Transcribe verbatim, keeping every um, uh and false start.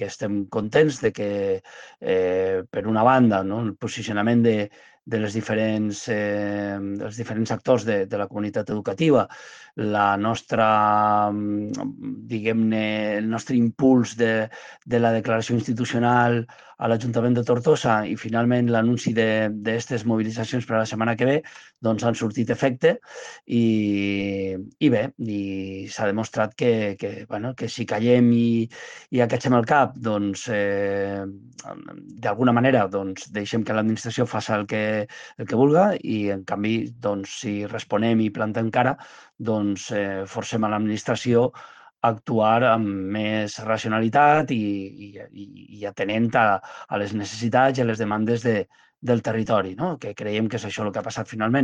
que estem contents de que, eh, per una banda, no, el posicionament de, de, les diferents, eh, dels diferents actors de, de la comunitat educativa, la nostra, diguem-ne, el nostre impuls de, de la declaració institucional a l'Ajuntament de Tortosa i finalment l'anunci d'aquestes mobilitzacions per a la setmana que ve, doncs han sortit efecte i, i bé, i s'ha demostrat que, que, bueno, que si callem i, i acatxem el cap, doncs eh, d'alguna manera doncs, deixem que l'administració faci el que, el que vulga i en canvi doncs, si responem i plantem cara, doncs eh, forcem a l'administració actuar amb més racionalitat i, i, i atenent a, a les necessitats i a les demandes de, del territori, no? Que creiem que és això el que ha passat finalment.